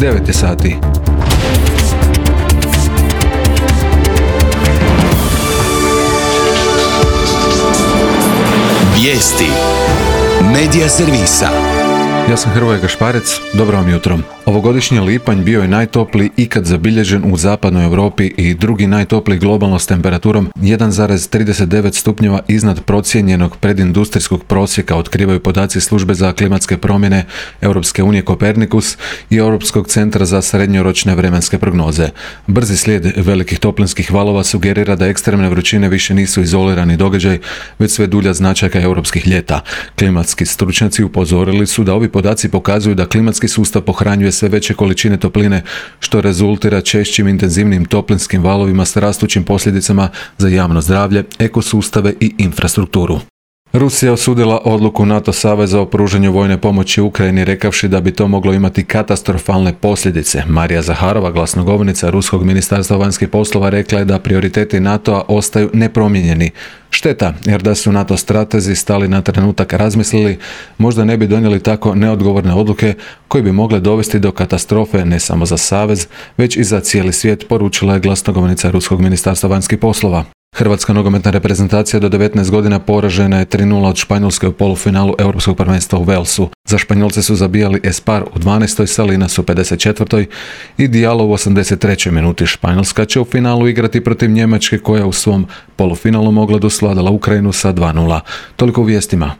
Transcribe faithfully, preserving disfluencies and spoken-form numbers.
devet je sati. Vijesti Medija servisa. Ja sam Hrvoje Gašparec, dobro vam jutro. Ovogodišnji lipanj bio je najtopliji ikad zabilježen u zapadnoj Europi i drugi najtopliji globalno s temperaturom jedan zarez trideset devet stupnjeva iznad procijenjenog predindustrijskog prosjeka, otkrivaju podaci službe za klimatske promjene Europske unije Kopernikus i Europskog centra za srednjoročne vremenske prognoze. Brzi slijed velikih toplinskih valova sugerira da ekstremne vrućine više nisu izolirani događaj, već sve dulja značajka europskih ljeta. Klimatski stručnjaci upozorili su da ovi podaci pokazuju da klimatski sustav pohranjuje sve veće količine topline, što rezultira češćim intenzivnim toplinskim valovima s rastućim posljedicama za javno zdravlje, ekosustave i infrastrukturu. Rusija osudila odluku NATO saveza o pružanju vojne pomoći Ukrajini, rekavši da bi to moglo imati katastrofalne posljedice. Marija Zaharova, glasnogovornica Ruskog ministarstva vanjskih poslova, rekla je da prioriteti NATO-a ostaju nepromijenjeni. Šteta, jer da su NATO stratezi stali na trenutak razmislili, možda ne bi donijeli tako neodgovorne odluke koje bi mogle dovesti do katastrofe ne samo za savez, već i za cijeli svijet, poručila je glasnogovornica Ruskog ministarstva vanjskih poslova. Hrvatska nogometna reprezentacija do devetnaest godina poražena je tri nula od Španjolske u polufinalu Europskog prvenstva u Walesu. Za Španjolce su zabijali Espar u dvanaestoj, Salinas u pedeset četvrtoj i Diallo u osamdeset trećoj minuti. Španjolska će u finalu igrati protiv Njemačke, koja u svom polufinalu mogla da svladala Ukrajinu sa dva nula. Toliko u vijestima.